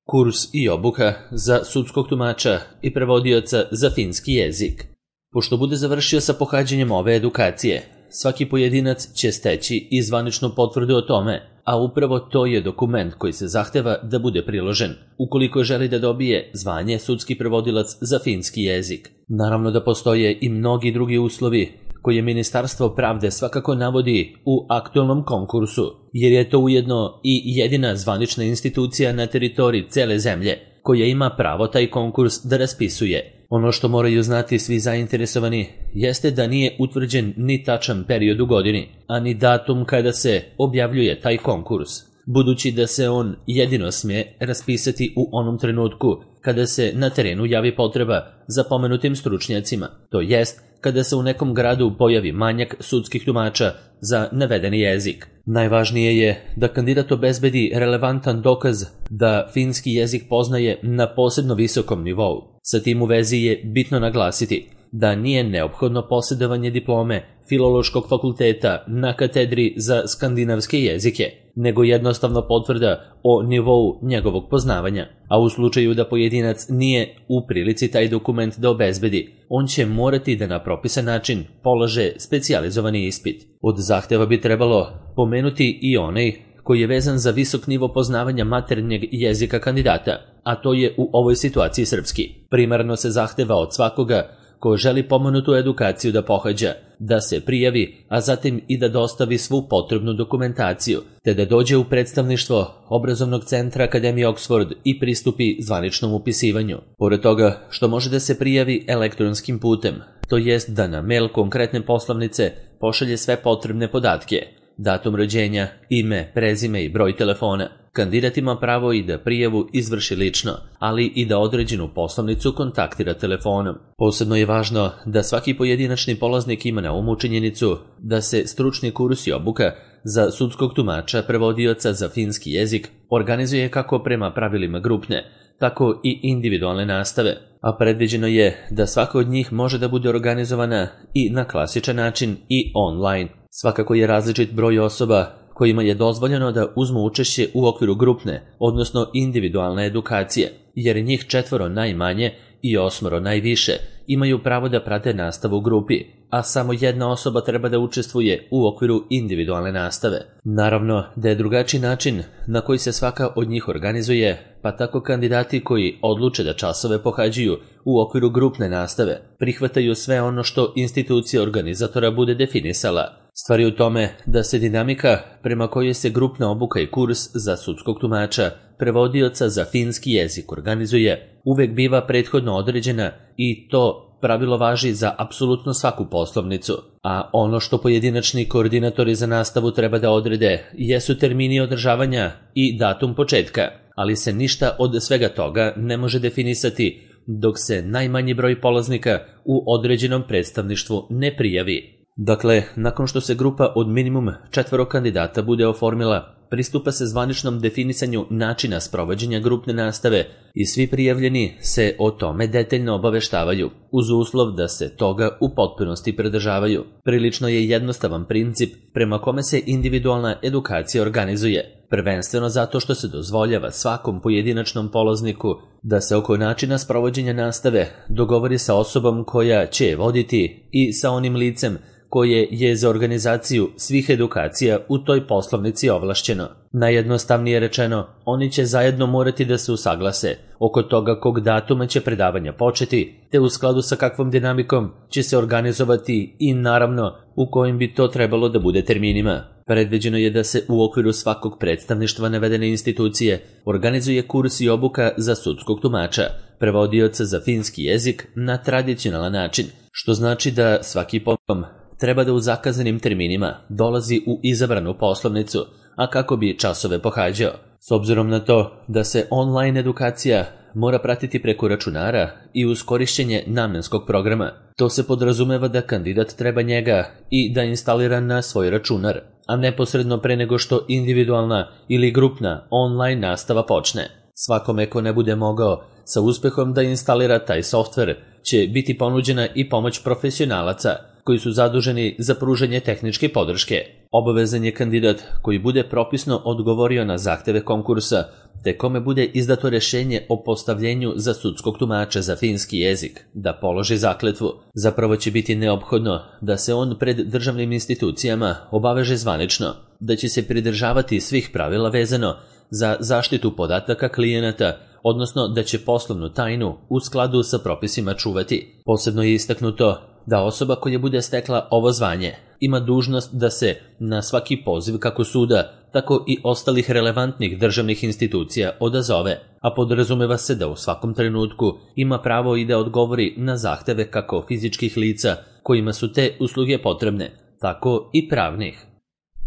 Kurs i obuka za sudskog tumača i prevodioca za finski jezik. Pošto bude završio sa pohađanjem ove edukacije, svaki pojedinac će steći i zvaničnu potvrdu o tome, a upravo to je dokument koji se zahteva da bude priložen, ukoliko želi da dobije zvanje sudski prevodilac za finski jezik. Naravno da postoje i mnogi drugi uslovi koje Ministarstvo pravde svakako navodi u aktualnom konkursu, jer je to ujedno i jedina zvanična institucija na teritoriji cele zemlje koja ima pravo taj konkurs da raspisuje. Ono što moraju znati svi zainteresovani jeste da nije utvrđen ni tačan period u godini, a ni datum kada se objavljuje taj konkurs, budući da se on jedino smije raspisati u onom trenutku kada se na terenu javi potreba za pomenutim stručnjacima, to jest kada se u nekom gradu pojavi manjak sudskih tumača za navedeni jezik. Najvažnije je da kandidat obezbedi relevantan dokaz da finski jezik poznaje na posebno visokom nivou. Sa tim u vezi je bitno naglasiti da nije neophodno posjedovanje diplome Filološkog fakulteta na katedri za skandinavske jezike, nego jednostavno potvrda o nivou njegovog poznavanja. A u slučaju da pojedinac nije u prilici taj dokument da obezbedi, on će morati da na propisan način polaže specijalizovani ispit. Od zahteva bi trebalo pomenuti i onaj koji je vezan za visok nivo poznavanja maternjeg jezika kandidata, a to je u ovoj situaciji srpski. Primarno se zahteva od svakoga ko želi pomenutu edukaciju da pohađa, da se prijavi, a zatim i da dostavi svu potrebnu dokumentaciju, te da dođe u predstavništvo obrazovnog centra Akademije Oxford i pristupi zvaničnom upisivanju. Pored toga što može da se prijavi elektronskim putem, to jest da na mail konkretne poslovnice pošalje sve potrebne podatke, datum rođenja, ime, prezime i broj telefona. Kandidat ima pravo i da prijavu izvrši lično, ali i da određenu poslovnicu kontaktira telefonom. Posebno je važno da svaki pojedinačni polaznik ima na umu činjenicu da se stručni kurs i obuka za sudskog tumača prevodioca za finski jezik organizuje kako prema pravilima grupne, tako i individualne nastave, a predviđeno je da svaka od njih može da bude organizovana i na klasičan način i online. Svakako je različit broj osoba kojima je dozvoljeno da uzmu učešće u okviru grupne, odnosno individualne edukacije, jer njih 4 najmanje i 8 najviše imaju pravo da prate nastavu u grupi, a samo jedna osoba treba da učestvuje u okviru individualne nastave. Naravno da je drugačiji način na koji se svaka od njih organizuje, pa tako kandidati koji odluče da časove pohađaju u okviru grupne nastave prihvataju sve ono što institucija organizatora bude definisala. Stvar je u tome da se dinamika prema kojoj se grupna obuka i kurs za sudskog tumača prevodioca za finski jezik organizuje uvek biva prethodno određena i to pravilo važi za apsolutno svaku poslovnicu, a ono što pojedinačni koordinatori za nastavu treba da odrede jesu termini održavanja i datum početka, ali se ništa od svega toga ne može definisati dok se najmanji broj polaznika u određenom predstavništvu ne prijavi. Dakle, nakon što se grupa od minimum 4 kandidata bude oformila, pristupa se zvaničnom definisanju načina sprovođenja grupne nastave i svi prijavljeni se o tome detaljno obaveštavaju, uz uslov da se toga u potpunosti pridržavaju. Prilično je jednostavan princip prema kome se individualna edukacija organizuje, prvenstveno zato što se dozvoljava svakom pojedinačnom polazniku da se oko načina sprovođenja nastave dogovori sa osobom koja će je voditi i sa onim licem koje je za organizaciju svih edukacija u toj poslovnici ovlašćeno. Najjednostavnije rečeno, oni će zajedno morati da se usaglase oko toga kog datuma će predavanja početi, te u skladu sa kakvom dinamikom će se organizovati i naravno u kojim bi to trebalo da bude terminima. Predviđeno je da se u okviru svakog predstavništva navedene institucije organizuje kurs i obuka za sudskog tumača, prevodioca za finski jezik na tradicionalan način, što znači da svaki pokom treba da u zakazanim terminima dolazi u izabranu poslovnicu, a kako bi časove pohađao. S obzirom na to da se online edukacija mora pratiti preko računara i uz korišćenje namenskog programa, to se podrazumeva da kandidat treba njega i da instalira na svoj računar, a neposredno pre nego što individualna ili grupna online nastava počne. Svakome ko ne bude mogao sa uspehom da instalira taj softver će biti ponuđena i pomoć profesionalaca koji su zaduženi za pružanje tehničke podrške. Obavezan je kandidat koji bude propisno odgovorio na zahteve konkursa, te kome bude izdato rješenje o postavljenju za sudskog tumača za finski jezik, da položi zakletvu. Zapravo će biti neophodno da se on pred državnim institucijama obaveže zvanično, da će se pridržavati svih pravila vezano za zaštitu podataka klijenata, odnosno da će poslovnu tajnu u skladu sa propisima čuvati. Posebno je istaknuto da osoba koja bude stekla ovo zvanje ima dužnost da se na svaki poziv kako suda, tako i ostalih relevantnih državnih institucija odazove, a podrazumeva se da u svakom trenutku ima pravo i da odgovori na zahteve kako fizičkih lica kojima su te usluge potrebne, tako i pravnih.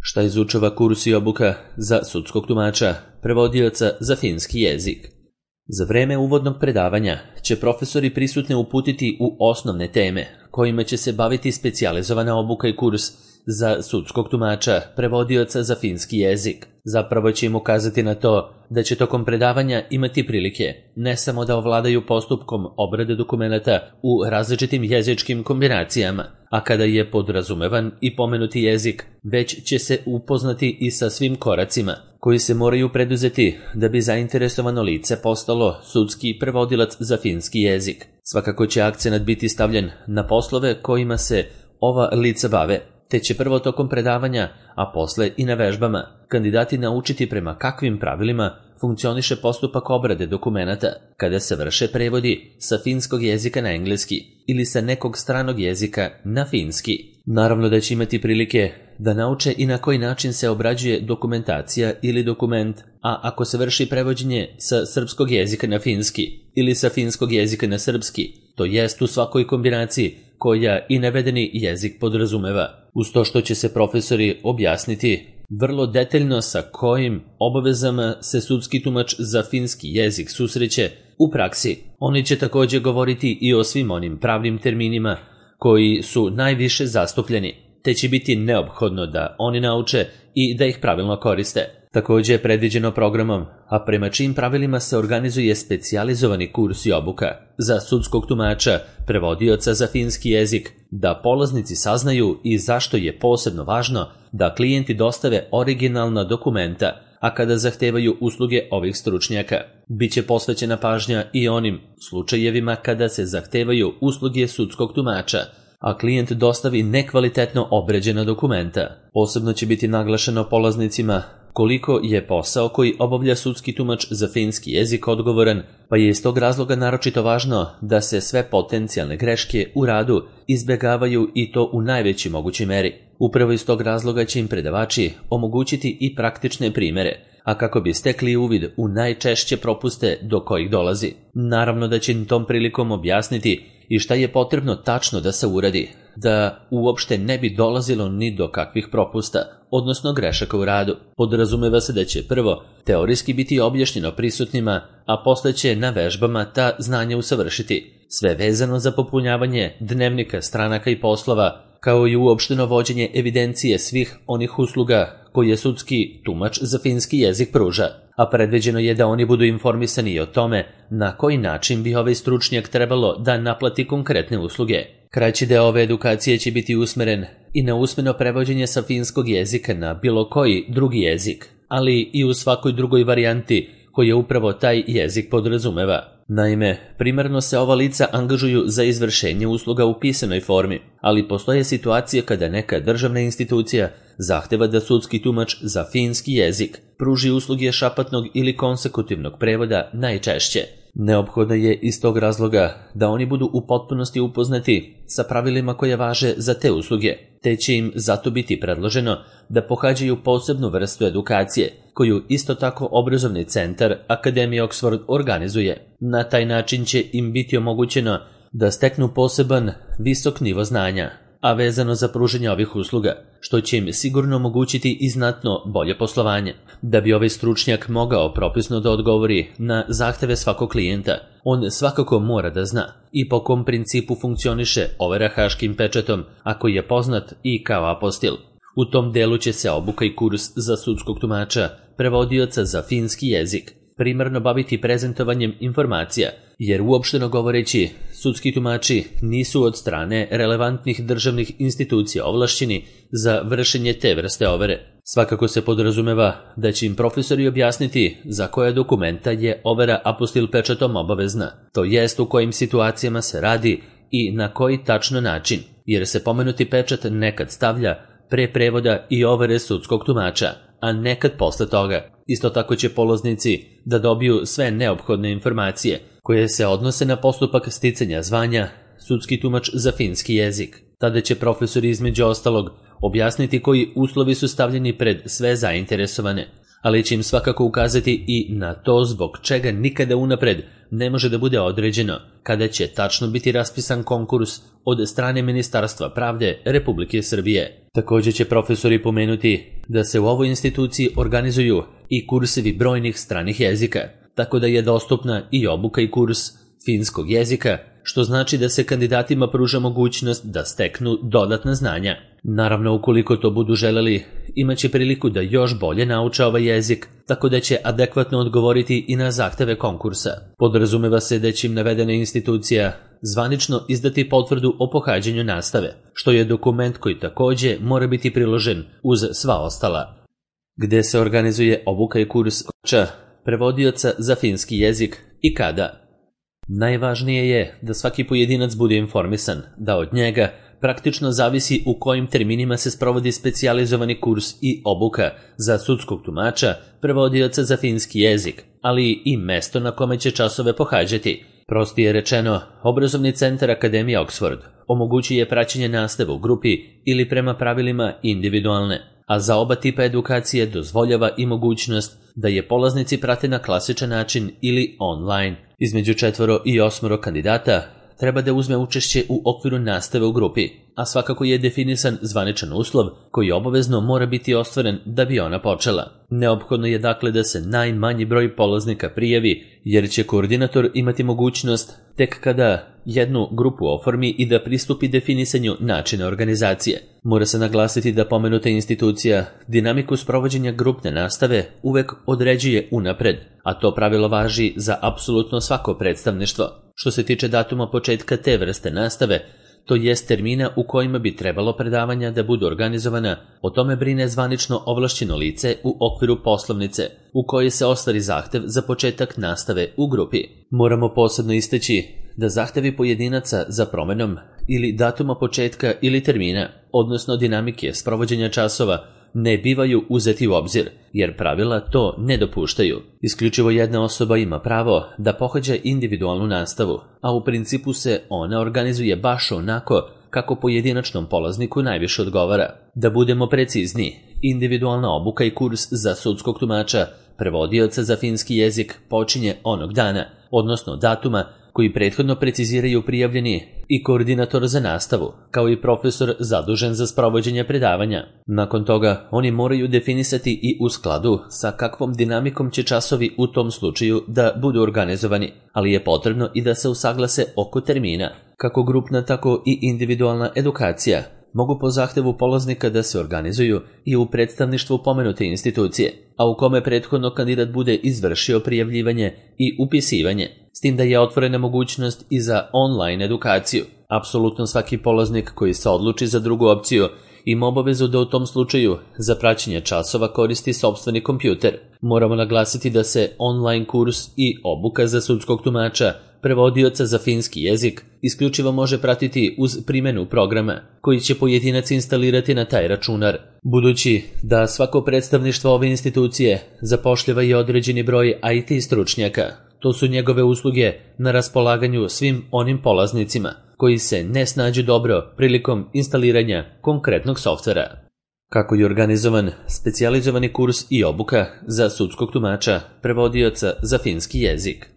Šta izučava kurs i obuka za sudskog tumača, prevodioca za finski jezik? Za vreme uvodnog predavanja će profesori prisutne uputiti u osnovne teme, kojima će se baviti specijalizovana obuka i kurs za sudskog tumača, prevodioca za finski jezik. Zapravo će im ukazati na to da će tokom predavanja imati prilike ne samo da ovladaju postupkom obrade dokumenata u različitim jezičkim kombinacijama, a kada je podrazumevan i pomenuti jezik, već će se upoznati i sa svim koracima koji se moraju preduzeti da bi zainteresovano lice postalo sudski prevodilac za finski jezik. Svakako će akcenat biti stavljen na poslove kojima se ova lica bave, te će prvo tokom predavanja, a posle i na vežbama, kandidati naučiti prema kakvim pravilima funkcioniše postupak obrade dokumenata kada se vrše prevodi sa finskog jezika na engleski ili sa nekog stranog jezika na finski. Naravno da će imati prilike da nauče i na koji način se obrađuje dokumentacija ili dokument, a ako se vrši prevođenje sa srpskog jezika na finski ili sa finskog jezika na srpski, to jest u svakoj kombinaciji koja i navedeni jezik podrazumeva, uz to što će se profesori objasniti vrlo detaljno sa kojim obavezama se sudski tumač za finski jezik susreće u praksi. Oni će također govoriti i o svim onim pravnim terminima koji su najviše zastupljeni, te će biti neophodno da oni nauče i da ih pravilno koriste. Također je predviđeno programom, a prema čijim pravilima se organizuje specijalizovani kurs i obuka za sudskog tumača, prevodioca za finski jezik, da polaznici saznaju i zašto je posebno važno da klijenti dostave originalna dokumenta, a kada zahtevaju usluge ovih stručnjaka. Biće posvećena pažnja i onim slučajevima kada se zahtevaju usluge sudskog tumača, a klijent dostavi nekvalitetno obrađena dokumenta. Posebno će biti naglašeno polaznicima koliko je posao koji obavlja sudski tumač za finski jezik odgovoran, pa je iz tog razloga naročito važno da se sve potencijalne greške u radu izbjegavaju i to u najvećoj mogućoj meri. Upravo iz tog razloga će im predavači omogućiti i praktične primere, a kako bi stekli uvid u najčešće propuste do kojih dolazi. Naravno da će im tom prilikom objasniti i šta je potrebno tačno da se uradi, da uopšte ne bi dolazilo ni do kakvih propusta, odnosno grešaka u radu. Podrazumeva se da će prvo teorijski biti objašnjeno prisutnima, a posle će na vežbama ta znanja usavršiti. Sve vezano za popunjavanje dnevnika, stranaka i poslova, kao i uopšteno vođenje evidencije svih onih usluga koje sudski tumač za finski jezik pruža, a predviđeno je da oni budu informisani i o tome na koji način bi ovaj stručnjak trebalo da naplati konkretne usluge. Kraći deo ove edukacije će biti usmeren i na usmeno prevođenje sa finskog jezika na bilo koji drugi jezik, ali i u svakoj drugoj varijanti koje upravo taj jezik podrazumeva. Naime, primarno se ova lica angažuju za izvršenje usluga u pisanoj formi, ali postoje situacije kada neka državna institucija zahteva da sudski tumač za finski jezik pruži usluge šapatnog ili konsekutivnog prevoda najčešće. Neophodno je iz tog razloga da oni budu u potpunosti upoznati sa pravilima koje važe za te usluge, te će im zato biti predloženo da pohađaju posebnu vrstu edukacije, koju isto tako obrazovni centar Akademije Oxford organizuje. Na taj način će im biti omogućeno da steknu poseban visok nivo znanja, a vezano za pružanje ovih usluga, što će im sigurno omogućiti i znatno bolje poslovanje. Da bi ovaj stručnjak mogao propisno da odgovori na zahteve svakog klijenta, on svakako mora da zna i po kom principu funkcioniše overa haškim pečatom, ako je poznat i kao apostil. U tom delu će se obuka i kurs za sudskog tumača, prevodioca za finski jezik, primarno baviti prezentovanjem informacija, jer uopšteno govoreći, sudski tumači nisu od strane relevantnih državnih institucija ovlašćeni za vršenje te vrste overe. Svakako se podrazumeva da će im profesori objasniti za koja dokumenta je overa apostil pečatom obavezna, to jest u kojim situacijama se radi i na koji tačno način, jer se pomenuti pečat nekad stavlja pre prevoda i overe sudskog tumača, a nekad posle toga. Isto tako će polaznici da dobiju sve neophodne informacije koje se odnose na postupak sticanja zvanja sudski tumač za finski jezik. Tada će profesori između ostalog objasniti koji uslovi su stavljeni pred sve zainteresovane, ali će im svakako ukazati i na to zbog čega nikada unapred ne može da bude određeno kada će tačno biti raspisan konkurs od strane Ministarstva pravde Republike Srbije. Također će profesori pomenuti da se u ovoj instituciji organizuju i kursevi brojnih stranih jezika, tako da je dostupna i obuka i kurs finskog jezika, što znači da se kandidatima pruža mogućnost da steknu dodatna znanja. Naravno, ukoliko to budu želeli, imaće priliku da još bolje nauče ovaj jezik, tako da će adekvatno odgovoriti i na zahteve konkursa. Podrazumeva se da će im navedena institucija zvanično izdati potvrdu o pohađanju nastave, što je dokument koji takođe mora biti priložen uz sva ostala. Gde se organizuje obuka i kurs prevodioca za finski jezik i kada? Najvažnije je da svaki pojedinac bude informisan, da od njega praktično zavisi u kojim terminima se sprovodi specijalizovani kurs i obuka za sudskog tumača, prevodioca za finski jezik, ali i mesto na kome će časove pohađati. Prostije rečeno, obrazovni centar Akademije Oxford omogućuje praćenje nastave u grupi ili prema pravilima individualne, a za oba tipa edukacije dozvoljava i mogućnost da je polaznici prate na klasičan način ili online. Između 4 i 8 kandidata treba da uzme učešće u okviru nastave u grupi, a svakako je definisan zvaničan uslov koji obavezno mora biti ostvaren da bi ona počela. Neophodno je dakle da se najmanji broj polaznika prijavi, jer će koordinator imati mogućnost tek kada jednu grupu oformi i da pristupi definisanju načina organizacije. Mora se naglasiti da pomenuta institucija dinamiku sprovođenja grupne nastave uvek određuje unapred, a to pravilo važi za apsolutno svako predstavništvo. Što se tiče datuma početka te vrste nastave, to jest termina u kojima bi trebalo predavanja da budu organizovana, o tome brine zvanično ovlašćeno lice u okviru poslovnice, u kojoj se ostvari zahtev za početak nastave u grupi. Moramo posebno istaći da zahtevi pojedinaca za promenom ili datuma početka ili termina, odnosno dinamike sprovođenja časova, ne bivaju uzeti u obzir, jer pravila to ne dopuštaju. Isključivo jedna osoba ima pravo da pohađa individualnu nastavu, a u principu se ona organizuje baš onako kako pojedinačnom polazniku najviše odgovara. Da budemo precizni, individualna obuka i kurs za sudskog tumača, prevodioca za finski jezik počinje onog dana, odnosno datuma koji prethodno preciziraju prijavljeni i koordinator za nastavu, kao i profesor zadužen za sprovođenje predavanja. Nakon toga, oni moraju definisati i u skladu sa kakvom dinamikom će časovi u tom slučaju da budu organizovani, ali je potrebno i da se usaglase oko termina. Kako grupna, tako i individualna edukacija mogu po zahtevu polaznika da se organizuju i u predstavništvu pomenute institucije, a u kome prethodno kandidat bude izvršio prijavljivanje i upisivanje, s tim da je otvorena mogućnost i za online edukaciju. Apsolutno svaki polaznik koji se odluči za drugu opciju ima obavezu da u tom slučaju za praćenje časova koristi sopstveni kompjuter. Moramo naglasiti da se online kurs i obuka za sudskog tumača, prevodioca za finski jezik, isključivo može pratiti uz primjenu programa koji će pojedinac instalirati na taj računar. Budući da svako predstavništvo ove institucije zapošljava i određeni broj IT stručnjaka, to su njegove usluge na raspolaganju svim onim polaznicima koji se ne snađu dobro prilikom instaliranja konkretnog softvera. Kako je organizovan specijalizovani kurs i obuka za sudskog tumača, prevodioca za finski jezik?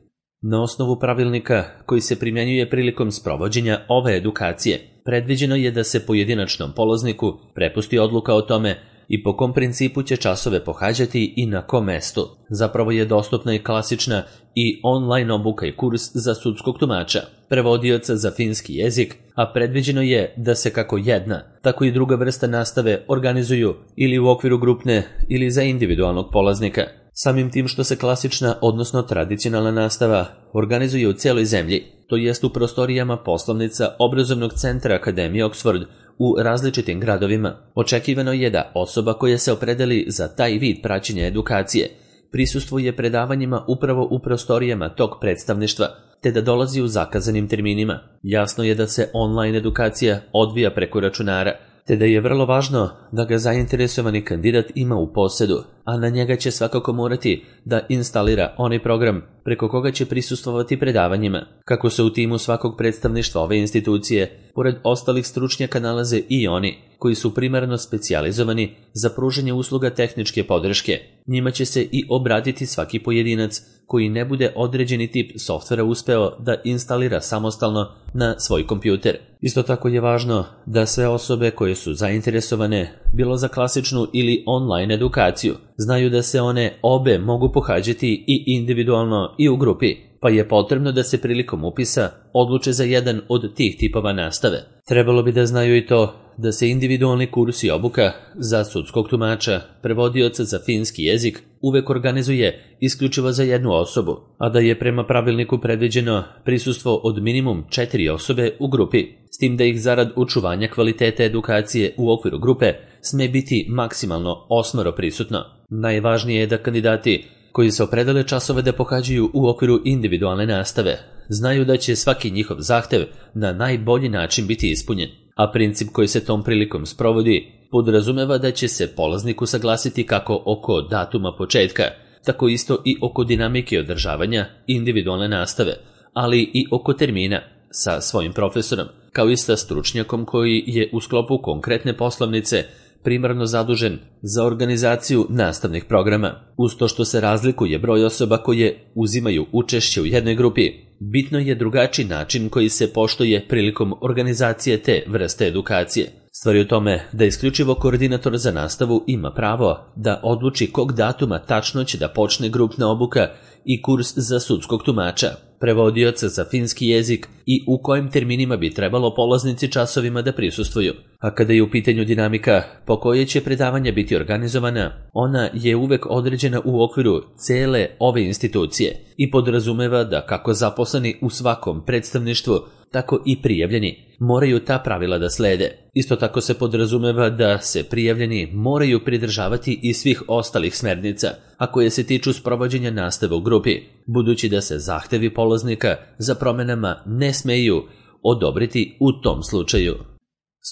Na osnovu pravilnika koji se primjenjuje prilikom sprovođenja ove edukacije, predviđeno je da se pojedinačnom polazniku prepusti odluka o tome i po kom principu će časove pohađati i na kom mestu. Zapravo je dostupna i klasična i online obuka i kurs za sudskog tumača, prevodioca za finski jezik, a predviđeno je da se kako jedna, tako i druga vrsta nastave organizuju ili u okviru grupne ili za individualnog polaznika. Samim tim što se klasična, odnosno tradicionalna nastava organizuje u cijeloj zemlji, to jest u prostorijama poslovnica obrazovnog centra Akademije Oxford u različitim gradovima. Očekivano je da osoba koja se opredeli za taj vid praćenja edukacije prisustvuje predavanjima upravo u prostorijama tog predstavništva, te da dolazi u zakazanim terminima. Jasno je da se online edukacija odvija preko računara, te da je vrlo važno da ga zainteresovani kandidat ima u posedu, a na njega će svakako morati da instalira onaj program preko koga će prisustvovati predavanjima. Kako se u timu svakog predstavništva ove institucije, pored ostalih stručnjaka nalaze i oni koji su primarno specijalizovani za pružanje usluga tehničke podrške. Njima će se i obratiti svaki pojedinac koji ne bude određeni tip softvera uspeo da instalira samostalno na svoj kompjuter. Isto tako je važno da sve osobe koje su zainteresovane, bilo za klasičnu ili online edukaciju, znaju da se one obe mogu pohađati i individualno i u grupi, pa je potrebno da se prilikom upisa odluče za jedan od tih tipova nastave. Trebalo bi da znaju i to da se individualni kurs i obuka za sudskog tumača, prevodioca za finski jezik, uvek organizuje isključivo za jednu osobu, a da je prema pravilniku predviđeno prisustvo od minimum 4 osobe u grupi, s tim da ih zarad očuvanja kvaliteta edukacije u okviru grupe sme biti maksimalno 8 prisutno. Najvažnije je da kandidati koji se opredele časove da pohađaju u okviru individualne nastave znaju da će svaki njihov zahtev na najbolji način biti ispunjen, a princip koji se tom prilikom sprovodi podrazumeva da će se polaznik usaglasiti kako oko datuma početka, tako isto i oko dinamike održavanja individualne nastave, ali i oko termina sa svojim profesorom, kao i sa stručnjakom koji je u sklopu konkretne poslovnice primarno zadužen za organizaciju nastavnih programa. Uz to što se razlikuje broj osoba koje uzimaju učešće u jednoj grupi, bitno je drugačiji način koji se poštuje prilikom organizacije te vrste edukacije. Stvar je u tome da isključivo koordinator za nastavu ima pravo da odluči kog datuma tačno će da počne grupna obuka i kurs za sudskog tumača, prevodioca za finski jezik i u kojim terminima bi trebalo polaznici časovima da prisustvuju. A kada je u pitanju dinamika po kojoj će predavanja biti organizovana, ona je uvek određena u okviru cele ove institucije i podrazumeva da kako zaposleni u svakom predstavništvu, tako i prijavljeni moraju ta pravila da slede. Isto tako se podrazumeva da se prijavljeni moraju pridržavati i svih ostalih smernica, a koje se tiču sprovođenja nastave u grupi, budući da se zahtevi polaznika za promenama ne smeju odobriti u tom slučaju.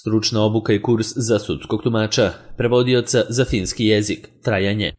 Stručna obuka i kurs za sudskog tumača, prevodioca za finski jezik, trajanje.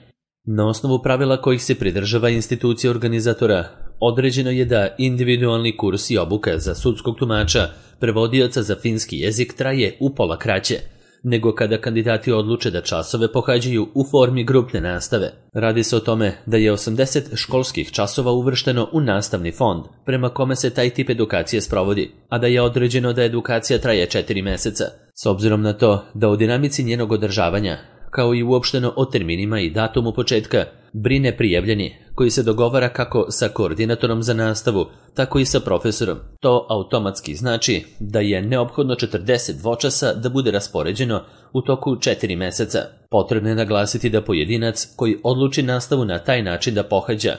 Na osnovu pravila kojih se pridržava institucija organizatora, određeno je da individualni kurs i obuka za sudskog tumača, prevodioca za finski jezik traje upola kraće, nego kada kandidati odluče da časove pohađaju u formi grupne nastave. Radi se o tome da je 80 školskih časova uvršteno u nastavni fond, prema kome se taj tip edukacije sprovodi, a da je određeno da edukacija traje 4 meseca. S obzirom na to da o dinamici njenog održavanja, kao i uopšteno o terminima i datumu početka, brine prijavljeni, koji se dogovara kako sa koordinatorom za nastavu, tako i sa profesorom. To automatski znači da je neophodno 40 dvočasa da bude raspoređeno u toku 4 meseca. Potrebno je naglasiti da pojedinac koji odluči nastavu na taj način da pohađa,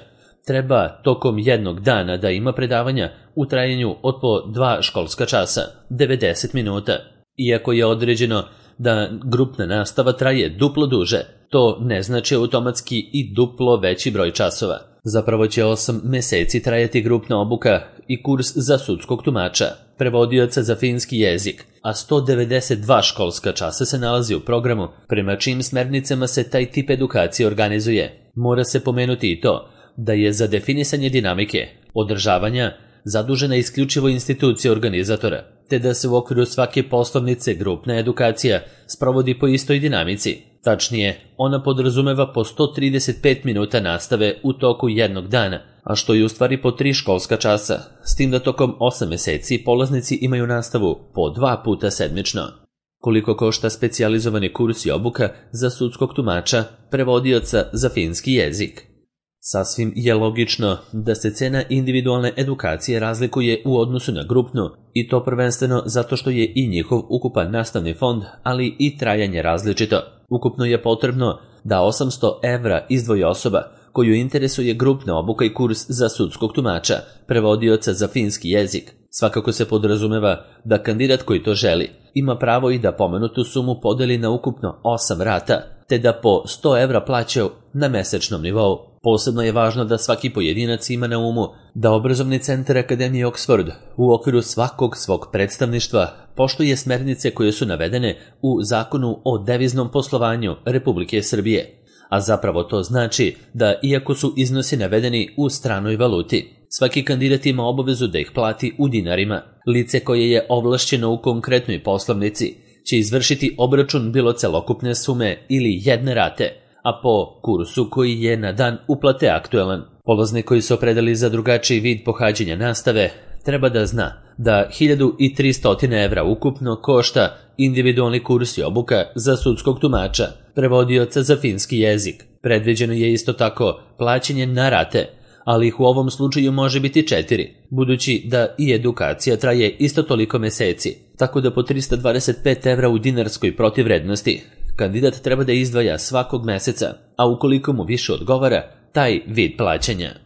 treba tokom jednog dana da ima predavanja u trajanju od po 2 školska časa, 90 minuta. Iako je određeno da grupna nastava traje duplo duže, to ne znači automatski i duplo veći broj časova. Zapravo će 8 meseci trajati grupna obuka i kurs za sudskog tumača, prevodioca za finski jezik, a 192 školska časa se nalazi u programu prema čijim smernicama se taj tip edukacije organizuje. Mora se pomenuti i to da je za definisanje dinamike održavanja zadužena isključivo institucija organizatora, te da se u okviru svake poslovnice grupna edukacija sprovodi po istoj dinamici. Tačnije, ona podrazumeva po 135 minuta nastave u toku jednog dana, a što je u stvari po 3 školska časa, s tim da tokom 8 meseci polaznici imaju nastavu po 2 puta sedmično. Koliko košta specijalizovani kurs i obuka za sudskog tumača, prevodioca za finski jezik? Sasvim je logično da se cena individualne edukacije razlikuje u odnosu na grupnu, i to prvenstveno zato što je i njihov ukupan nastavni fond, ali i trajanje različito. Ukupno je potrebno da 800 evra izdvoji osoba koju interesuje grupna obuka i kurs za sudskog tumača, prevodioca za finski jezik. Svakako se podrazumeva da kandidat koji to želi ima pravo i da pomenutu sumu podeli na ukupno 8 rata, te da po 100 evra plaća na mesečnom nivou. Posebno je važno da svaki pojedinac ima na umu da Obrazovni centar Akademije Oxford u okviru svakog svog predstavništva poštuje smernice koje su navedene u Zakonu o deviznom poslovanju Republike Srbije. A zapravo to znači da iako su iznosi navedeni u stranoj valuti, svaki kandidat ima obavezu da ih plati u dinarima. Lice koje je ovlašćeno u konkretnoj poslovnici će izvršiti obračun bilo celokupne sume ili jedne rate, a po kursu koji je na dan uplate aktuelan. Polaznik koji se opredeli za drugačiji vid pohađanja nastave treba da zna da 1300 evra ukupno košta individualni kurs i obuka za sudskog tumača, prevodioca za finski jezik. Predviđeno je isto tako plaćanje na rate, ali ih u ovom slučaju može biti 4, budući da i edukacija traje isto toliko meseci, tako da po 325 evra u dinarskoj protivvrednosti kandidat treba da izdvaja svakog meseca, a ukoliko mu više odgovara taj vid plaćanja.